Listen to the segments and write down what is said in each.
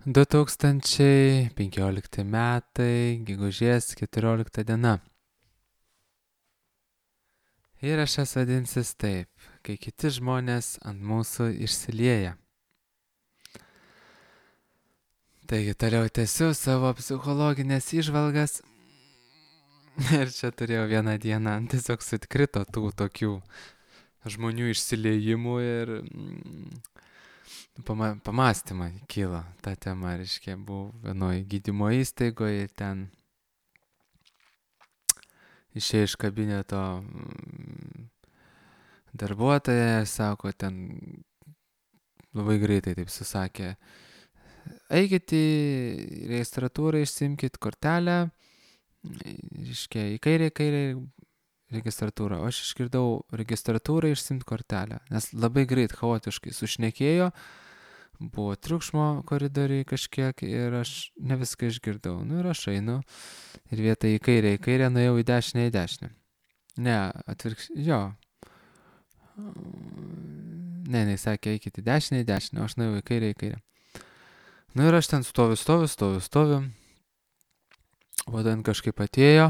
2015 metai, gegužės 14 diena. Įrašas vadinsis taip, kai kiti žmonės ant mūsų išsilieja. Taigi toliau tęsiu savo psichologinės įžvalgas. Ir čia turėjau vieną dieną, tiesiog sukrito tų tokių žmonių išsiliejimų ir pamastymai kyla tą temą, reiškia, buvau vienoje gydymo įstaigoje, ten išėjo iš kabineto darbuotoja, sako, ten labai greitai taip susakė, eikit į registratūrą, išsimkit kortelę, reiškia, į kairę registratūrą, o aš išgirdau registratūrą išsimt kortelę, nes labai greit, chaotiškai sušnekėjo, buvo triukšmo koridoriai kažkiek ir aš ne viską išgirdau. Ir aš einu ir vietą į kairę nuėjau į dešinę. Ne, jo. Ne, jis sakė, eikit į dešinę, o aš nuėjau į kairę. Ir aš ten stoviu. O ten kažkaip atėjo,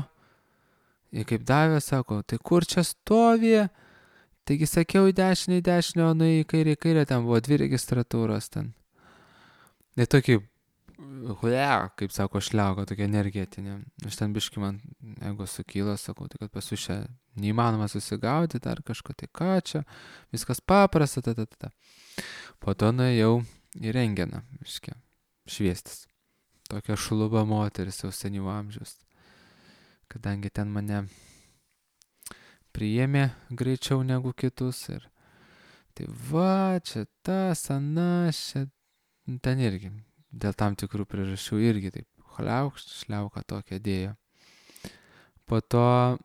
ir kaip davė, sako, tai kur čia stovi? Taigi sakiau į dešinę, o nuėjau į kairę, ten buvo 2 registratūros ten. Ir tokį, kaip sako, šliauko, tokia energetinė. Aš ten biškai man, jeigu sukyla, sakau, tai kad pas jūs čia neįmanoma susigaudyti, ar kažko, tai ką čia, viskas paprasta, Po to nuėjau į rengeną, šviestis. Tokia šluba moteris jau senyvo amžiaus. Kadangi ten mane priėmė greičiau negu kitus ir tai va, čia tas, anas, čia ten irgi dėl tam tikrų priežasčių irgi taip šliauką tokią dėjo. Po to,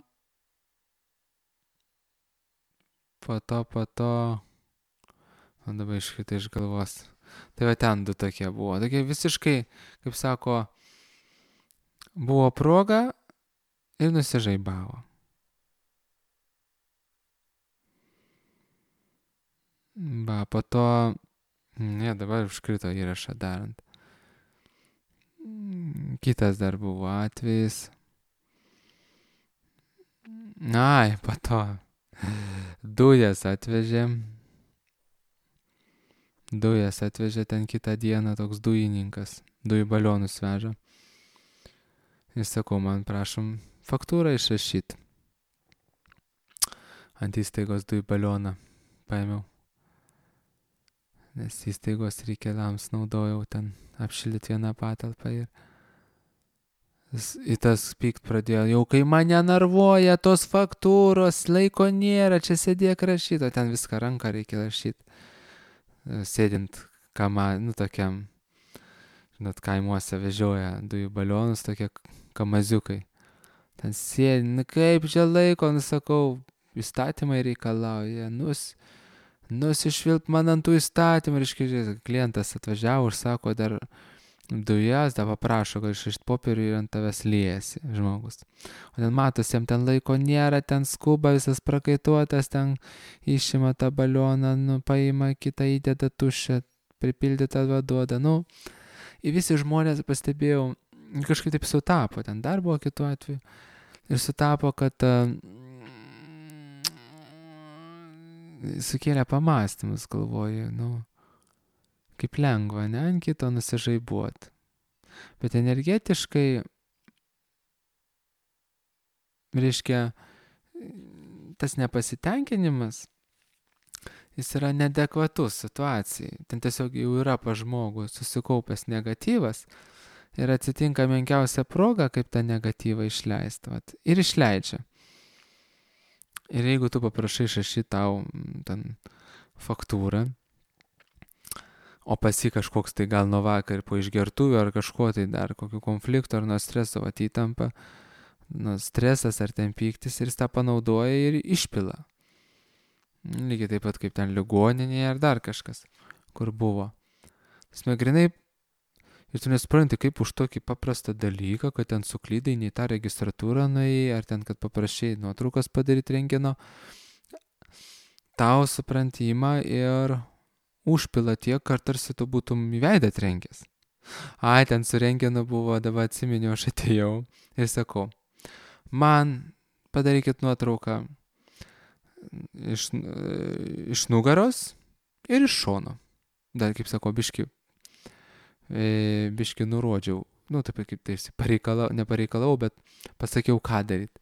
man dabar iškrito iš galvos. Tai va ten 2 tokie buvo. Tokie visiškai, kaip sako, buvo proga ir nusižaibavo. Po to, dabar užkrito įrašą darant. Kitas dar buvo atvejis. Po to dujas atvežė ten kitą dieną toks dujininkas. Dujų balionus veža. Ir sakau, man prašom faktūrą išrašyti. Ant įstaigos dujų balioną paėmiau. Nes įstaigos reikalams naudojau ten apšildyti vieną patalpą ir į tas pykt pradėjo, jau kai mane narvuoja tos faktūros, laiko nėra, čia sėdėk rašyti, o ten viską ranką reikia rašyti. Sėdint tokiam, žinot, kaimuose vežioja dujų balionus, tokie kamaziukai. Ten sėdi, kaip čia laiko, sakau, įstatymai reikalauja, nusišvilp man ant tų įstatymų, reiškia, klientas atvažiavo ir sako, dar dujas, dar paprašo, kad išrašyt popierių ir ant tavęs liejasi žmogus. O ten matosi, jam ten laiko nėra, ten skuba, visas prakaituotas, ten išima tą balioną, paima kitą, įdeda tuščią, pripildytą duoda, ir visi žmonės, pastebėjau, kažkaip taip sutapo, ten dar buvo kitų atvejų, ir sutapo, kad sukėlė pamąstymus, galvoju, kaip lengva, ne, ant kito nusižaibuot. Bet energetiškai, reiškia, tas nepasitenkinimas, jis yra neadekvatus situacijai. Ten tiesiog jau yra pas žmogų susikaupęs negatyvas ir atsitinka menkiausia proga, kaip tą negatyvą išleisti. Ir išleidžia. Ir jeigu tu paprašai išrašyti tau ten faktūrą, o pas jį kažkoks tai gal nuo vakar po išgertuvių ar kažko tai dar, kokių konfliktų ar nuo streso įtampa, stresas ar ten pyktis ir jis tą panaudoja ir išpila. Lygiai taip pat kaip ten ligoninėje ar dar kažkas, kur buvo. Smegrinai, ir tu nesupranti, kaip už tokį paprastą dalyką, kad ten suklydai, nei tą registratūrą nuėjai, ar ten, kad paprašai nuotraukas padaryti rentgeno, tau supranti ima ir užpila tiek, kad tarsi tu būtum į veidą trenkęs. Ai, ten su rengenu buvo, dabar atsiminiau, aš atėjau ir sakau, man padarykit nuotrauką iš nugaros ir iš šono. Dar, kaip sako, biški nurodžiau. Nu, taip kaip nepareikalau, bet pasakiau, ką daryti.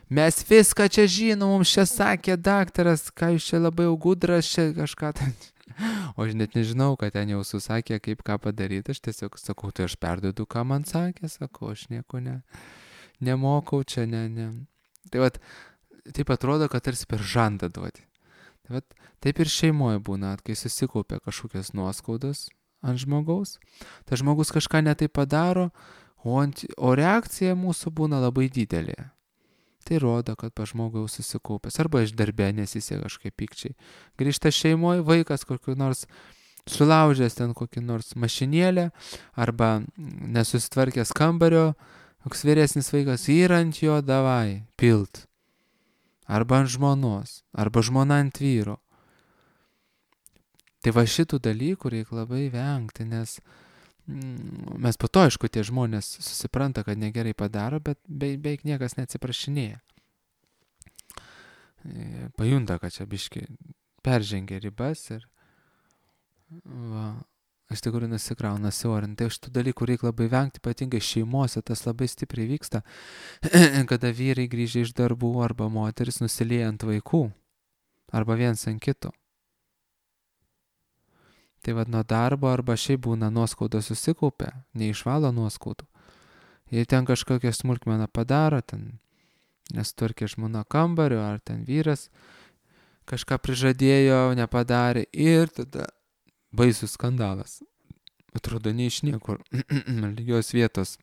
Mes viską čia žinom, mums čia sakė daktaras, ką jūs čia labai jau gudras, čia kažką ten. O aš net nežinau, kad ten jau susakė, kaip ką padaryti. Aš tiesiog sakau, tai aš perduodu, ką man sakė, sakau, aš nieko nemokau čia, ne. Tai vat, taip atrodo, kad tarsi per žandą duoti. Tai vat, taip ir šeimoje būna, kai susikaupia kažkokios nuoskaudos ant žmogaus, tai žmogus kažką netai padaro, o reakcija mūsų būna labai didelė. Tai rodo, kad pa žmogui jau susikaupęs, arba iš darbė nesisė kažkaip pykčiai. Grįžta šeimoje, vaikas kokiu nors sulaužęs ten kokį nors mašinėlę, arba nesusitvarkęs kambario, koks vyresnis vaikas yra ant jo davai, pilt. Arba ant žmonos, arba žmona ant vyro. Tai va šitų dalykų reikia labai vengti, nes mes po to, aišku, tie žmonės susipranta, kad negerai padaro, bet beveik niekas neatsiprašinėja. Pajunta, kad čia biški peržengia ribas ir iš tikrųjų nusikrauna siaurin. Tai šitų dalykų reikia labai vengti, ypatingai šeimose tas labai stipriai vyksta, kada vyrai grįžę iš darbų arba moteris nusilieja ant vaikų arba viens ant kito. Tai vad nuo darbo arba šiaip būna nuoskaudos susikaupia, neišvalo nuoskaudų. Jei ten kažkokią smulkmeną padaro, ten nesutvarkė žmona kambario, ar ten vyras kažką prižadėjo, nepadarė ir tada baisus skandalas. Atrodo, ne iš niekur, lygios vietos.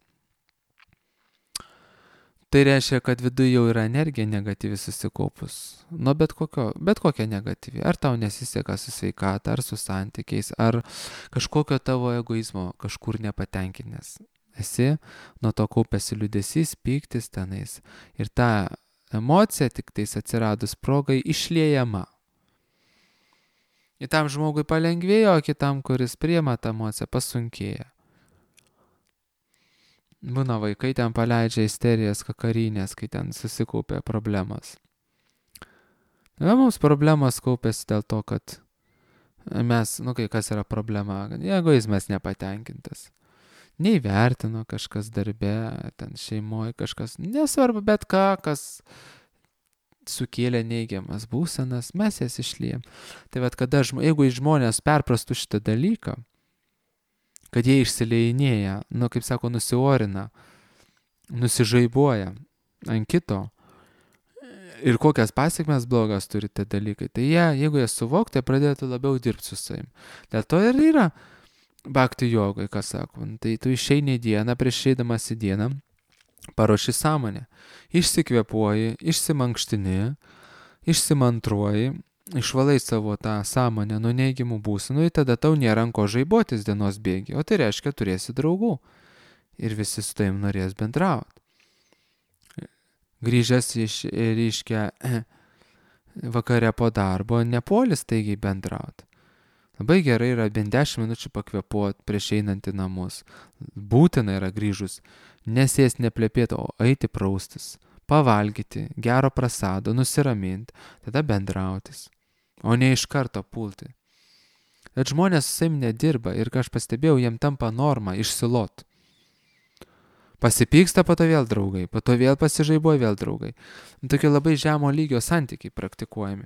Tai reiškia, kad viduje jau yra energija negatyvi susikaupus. Nu, bet kokia negatyvi. Ar tau nesiseka su sveikata, ar su santykiais, ar kažkokio tavo egoizmo kažkur nepatenkinęs. Esi, nuo to kaupėsi liūdesys, pyktis tenais. Ir ta emocija tik tais atsiradus progai išliejama. Ir tam žmogui palengvėjo, o kitam, kuris priima tą emociją, pasunkėja. Būna vaikai ten paleidžia isterijas kakarinės, kai ten susikaupia problemas. Mums problemas kaupėsi dėl to, kad mes, kai kas yra problema, kad egoizmas nepatenkintas. Neįvertino kažkas darbe, ten šeimoje kažkas, nesvarbu, bet kas sukėlė neigiamas būsenas, mes jas išliejam. Tai vat, jeigu žmonės perprastų šitą dalyką, kad jie išsileidinėja, kaip sako, nusiorina, nusižaibuoja ant kito ir kokias pasiekmes blogas turi tie dalykai, tai jeigu jie suvoktų, tai pradėtų labiau dirbti su savim. Dėl to ir yra bhakti jogai, kas sako, tai tu išeini į dieną, prieš eidamas į dieną, paruoši sąmonę, išsikvėpuoji, išsimankštini, išsimantruoji, išvalai savo tą sąmonę nuo neigiamų būsenų, ir tada tau nėra ko žaibotis dienos bėgi, o tai reiškia turėsi draugų ir visi su tavim norės bendrauti. Grįžęs reiškia vakare po darbo, nepuolis taigiai bendrauti. Labai gerai yra bent 10 minučių pakvėpuoti prieš einant į namus. Būtina yra grįžus nesės neplepėti, o eiti praustis, pavalgyti, gero prasado, nusiraminti, tada bendrautis. O ne iš karto pulti. Bet žmonės su savim nedirba ir, ką aš pastebėjau, jiem tampa norma išsilot. Pasipyksta, po to vėl draugai, po to vėl pasižaibuoja, vėl draugai. Tokie labai žemo lygio santykiai praktikuojami.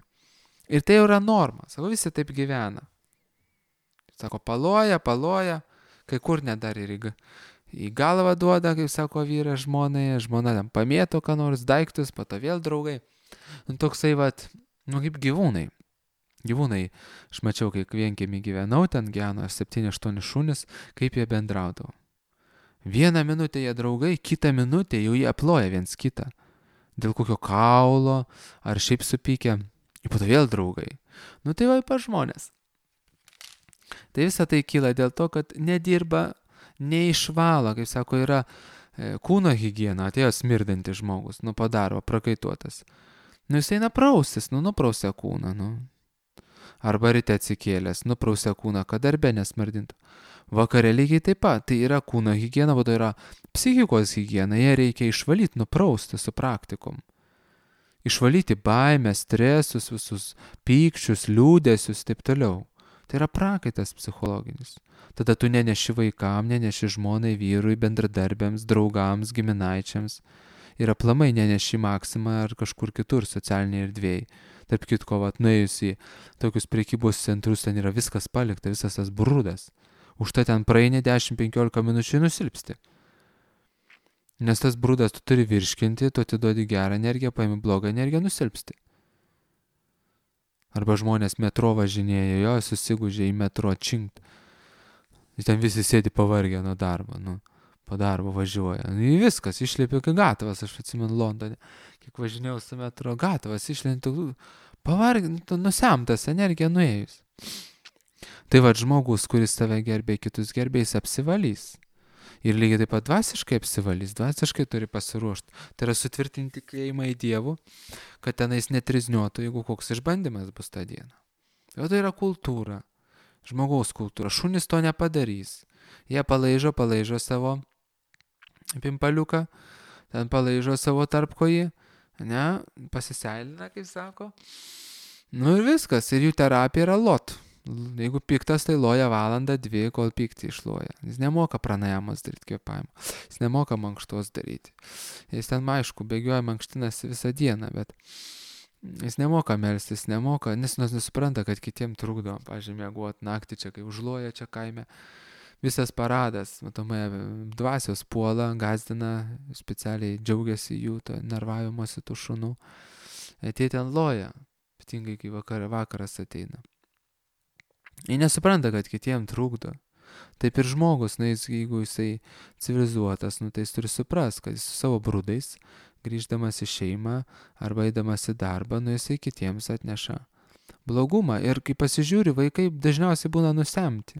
Ir tai jau yra norma, sako, visi taip gyvena. Sako, paloja, kai kur net dar ir į galvą duoda, kaip sako vyras žmonai, žmona ten pamėto ką nors daiktus, po to vėl draugai. Toksai kaip gyvūnai. Gyvūnai, aš mačiau, kai vienkiemį gyvenau, ten gyveno 7-8 šunys, kaip jie bendraudavo. Vieną minutę jie draugai, kitą minutę jau jie aploja viens kitą. Dėl kokio kaulo, ar šiaip supykę, ir po to vėl draugai. Tai va pa žmonės. Tai visa tai kyla dėl to, kad nedirba, neišvalo, kaip sako, yra kūno higiena, atėjo smirdantis žmogus, po darbo, prakaituotas. Jis eina praustis, nuprausia kūną, Arba ryte atsikėlęs, nuprausia kūną, kad darbe nesmardintų. Vakare lygiai taip pat. Tai yra kūno higiena, bet tai yra psichikos higiena. Jie reikia išvalyti, nuprausti su praktikum. Išvalyti baimę, stresus, visus pykčius, liūdėsius, taip toliau. Tai yra prakaitas psichologinis. Tada tu neneši vaikam, neneši žmonai, vyrui, bendradarbiams, draugams, giminaičiams. Ir aplamai neneši Maksimą ar kažkur kitur socialiniai erdvėjai. Tarp kitko, nuėjus į tokius prekybos centrus, ten yra viskas palikta, visas tas brudas. Už tai ten praeini 10-15 minučių nusilpsti. Nes tas brudas tu turi virškinti, tu atiduodi gerą energiją, paimi blogą energiją, nusilpsti. Arba žmonės metro važinėja, jo susigūžė į metro činkt. Ten visi sėdi pavargę nuo darbo, po darbo važiuoja. Viskas, išlėpė kai gatvas, aš atsimenu Londone, kiek važinėjau su metro, gatvas išlėpė, pavargę, nusemtas energija nuėjus. Tai žmogus, kuris tave gerbė, kitus gerbė, jis apsivalys. Ir lygiai taip pat dvasiškai apsivalys, dvasiškai turi pasiruošti. Tai yra sutvirtinti tikėjimą į Dievų, kad tenais netrizniuotų, jeigu koks išbandymas bus tą dieną. Tai yra kultūra, žmogaus kultūra. Šunys to nepadarys. Jie palaižo savo pimpaliuką, ten palaižo savo tarpkojį, pasiseilina, kaip sako. Ir viskas, ir jų terapija yra lot. Jeigu piktas, tai loja valandą, 2, kol pyktį išloja. Jis nemoka pranajamas daryti kvėpavimą. Jis nemoka mankštos daryti. Jis ten, aišku, bėgioja mankštinasi visą dieną, bet jis nemoka melstis, nes nesupranta, kad kitiem trukdo, pavyzdžiui, miegoti naktį čia, kai užloja čia kaime. Visas paradas, matomai, dvasios puola, gazdina, specialiai džiaugiasi jų nervavimuose tų šunų. Tie ten loja, ypatingai kai vakaras ateina. Jie nesupranta, kad kitiem trukdo. Taip ir žmogus, jeigu jisai civilizuotas, tai jis turi suprast, kad jis su savo brudais, grįždamas į šeimą arba eidamas į darbą, jisai kitiems atneša blogumą. Ir kai pasižiūri, vaikai dažniausiai būna nusemti.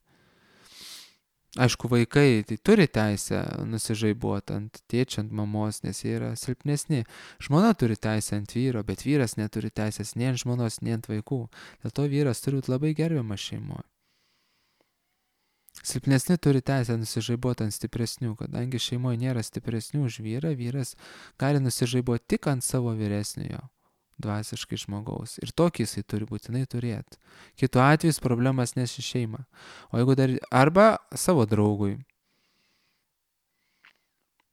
Aišku, vaikai tai turi teisę nusižaibuoti ant tėčio, ant mamos, nes jie yra silpnesni. Žmona turi teisę ant vyro, bet vyras neturi teisės nei ant žmonos, nei ant vaikų. Dėl to vyras turi būti labai gerbiamas šeimoje. Silpnesni turi teisę nusižaibuoti ant stipresnių, kadangi šeimoje nėra stipresnių už vyrą, vyras gali nusižaibuoti tik ant savo vyresniojo dvasiškai žmogaus. Ir tokį jisai turi būtinai turėti. Kitu atveju problemas neši šeimą. O jeigu dar arba savo draugui.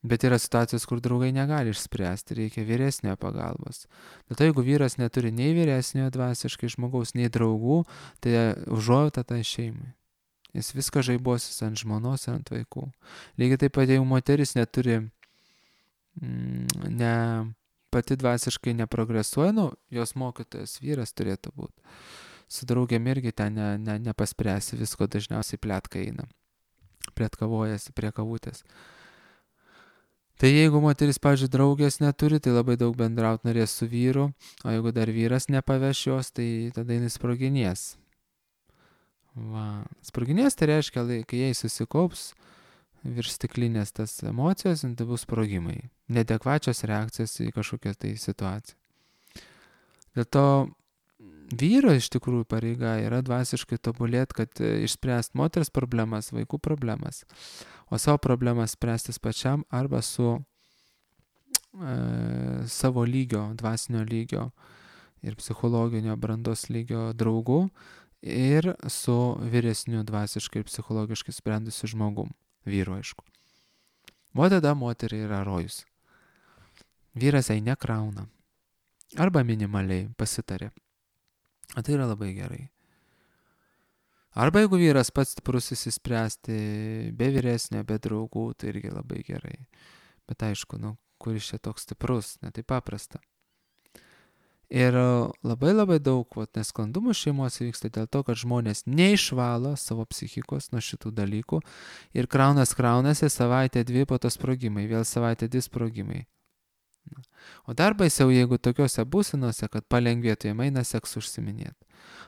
Bet yra situacijos, kur draugai negali išspręsti, reikia vyresnio pagalbos. Dėl to jeigu vyras neturi nei vyresnio dvasiškai žmogaus, nei draugų, tai užuojauta tai šeimai. Jis viską žaibosis ant žmonos ir ant vaikų. Lygiai taip pat, jeigu moteris neturi pati dvasiškai neprogresuoja, jos mokytojas vyras turėtų būti. Su draugiam irgi ten nepaspręsi visko, dažniausiai pletka eina. Pletkavojasi prie kavutės. Tai jeigu moteris, pavyzdžiui, draugės neturi, tai labai daug bendraut norės su vyru, o jeigu dar vyras nepaveš jos, tai tada jis sproginės. Sproginės tai reiškia, kai jai susikaups virš stiklinės tas emocijos, tai bus sprogimai. Neadekvačios reakcijos į kažkokią tai situaciją. Dėl to vyro iš tikrųjų pareiga yra dvasiškai tobulėti, kad išspręst moters problemas, vaikų problemas, o savo problemas spręstis pačiam arba su savo lygio, dvasinio lygio ir psichologinio brandos lygio draugu ir su vyresniu dvasiškai ir psichologiškai sprendusiu žmogum. Vyru, aišku. O tada moteriai yra rojus. Vyras jai nekrauna. Arba minimaliai pasitarė. O tai yra labai gerai. Arba jeigu vyras pats stiprus įsispręsti be vyresnio, be draugų, tai irgi labai gerai. Bet aišku, kuris čia toks stiprus, ne taip paprasta. Ir labai daug nesklandumų šeimos vyksta dėl to, kad žmonės neišvalo savo psichikos nuo šitų dalykų ir kraunasi savaitę 2 po to sprogimai, vėl savaitę 2 sprogimai. O dar baisiau, jeigu tokiuose būsenose, kad palengvėtų jam eina seksu užsiminėti.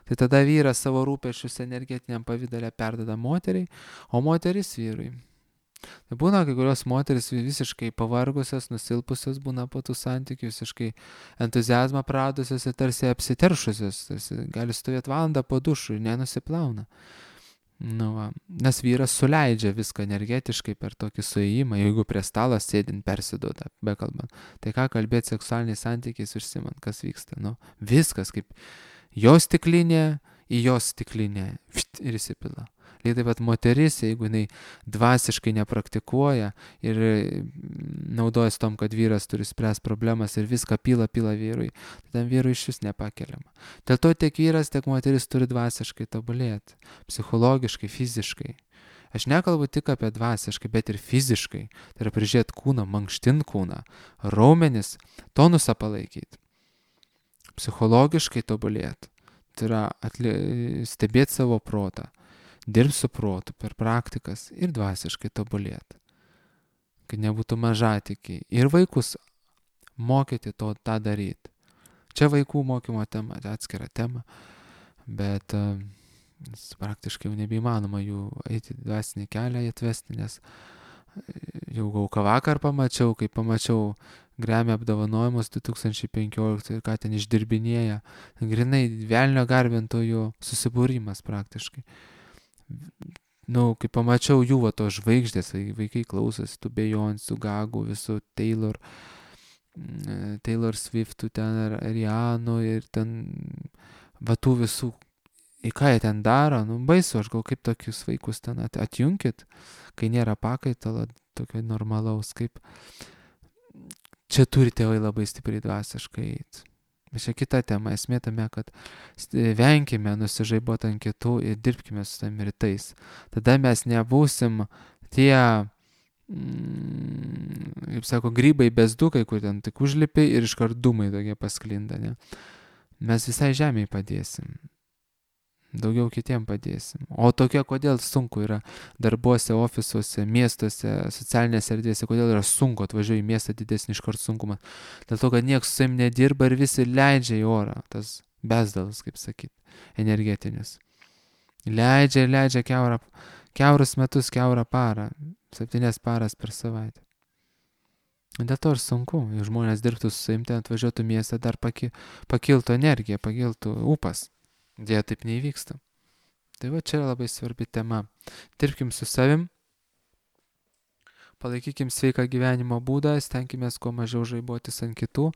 Tai tada vyras savo rūpesčius energetiniam pavidale perdeda moteriai, o moteris vyrui. Tai būna, kai kurios moteris visiškai pavargusios, nusilpusios būna po tų santykių, visiškai entuziazmą praradusios ir tarsi apsiteršusios, tarsi gali stovėti valandą po dušu ir nenusiplauna. Nu, va. Nes vyras suleidžia viską energetiškai per tokį suėjimą, jeigu prie stalo sėdint persiduoda, bekalbant. Tai ką kalbėti seksualiniais santykiais užsimant, kas vyksta? Nu, viskas kaip jo stiklinė į jos stiklinę ir įsipila. Lygiai taip pat moteris, jeigu jinai dvasiškai nepraktikuoja ir naudojasi tom, kad vyras turi spręsti problemas ir viską pila vyrui, tai tam vyrui iš vis nepakeliama. Dėl to tiek vyras, tiek moteris turi dvasiškai tobulėti, psichologiškai, fiziškai. Aš nekalbu tik apie dvasiškai, bet ir fiziškai. Tai yra prižiūrėti kūną, mankštint kūną, raumenis, tonusą palaikyti. Psichologiškai tobulėti. Tai yra stebėti savo protą. Dirbti su protu per praktikas ir dvasiškai tobulėti. Kad nebūtų mažatikiai. Ir vaikus mokyti tą daryti. Čia vaikų mokymo tema, atskira tema, bet praktiškai jau nebeįmanoma jų eiti dvasinį kelią atvesti, nes jau gauką vakar pamačiau, kai pamačiau Grammy apdovanojimus 2015 ir ką ten išdirbinėja. Grinai velnio garbintojų susibūrimas praktiškai. Nu, kai pamačiau jų va tos žvaigždės, vaikai klausosi tų Beyoncé, Gagų, visų Taylor Swiftų ten, Rihanų ir ten va tų visų, į ką jie ten daro, nu baisu, aš gal kaip tokius vaikus ten atjunkit, kai nėra pakaitalo, tokio normalaus, kaip čia turi tėvai labai stipriai dvasiškai eiti. Čia kita tema, esmė tame, kad venkime nusižaibuoti ant kitų ir dirbkime su tam rytais. Tada mes nebūsim tie, kaip sako, grybai bezdukai, kur ten tik užlipi ir iškart dūmai tokie pasklinda. Ne? Mes visai žemėje padėsim. Daugiau kitiem padėsim. O tokie, kodėl sunku yra darbuose, ofisuose, miestuose, socialinėse erdvėse, kodėl yra sunku atvažiuoti į miestą didesnį iškart sunkumą. Dėl to, kad niekas su savim nedirba ir visi leidžia į orą, tas bezdalas, kaip sakyti, energetinis. Leidžia kiaurus metus, kiaurą parą, 7 paras per savaitę. Dėl to ir sunku, jei žmonės dirbtų su savim, ten atvažiuotų miestą, dar pakiltų energija, pakiltų ūpas. Dėja taip neįvyksta. Tai va čia yra labai svarbi tema. Dirbkim su savim, palaikykim sveiką gyvenimo būdą, stenkimės kuo mažiau žaibuotis ant kitų.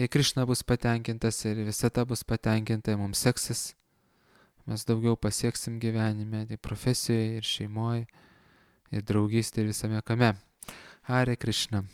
Jei Krišna bus patenkintas ir visata bus patenkinta, mums seksis, mes daugiau pasieksim gyvenime, tai profesijoje ir šeimoje, ir draugystėje ir visame kame. Hare Krišna.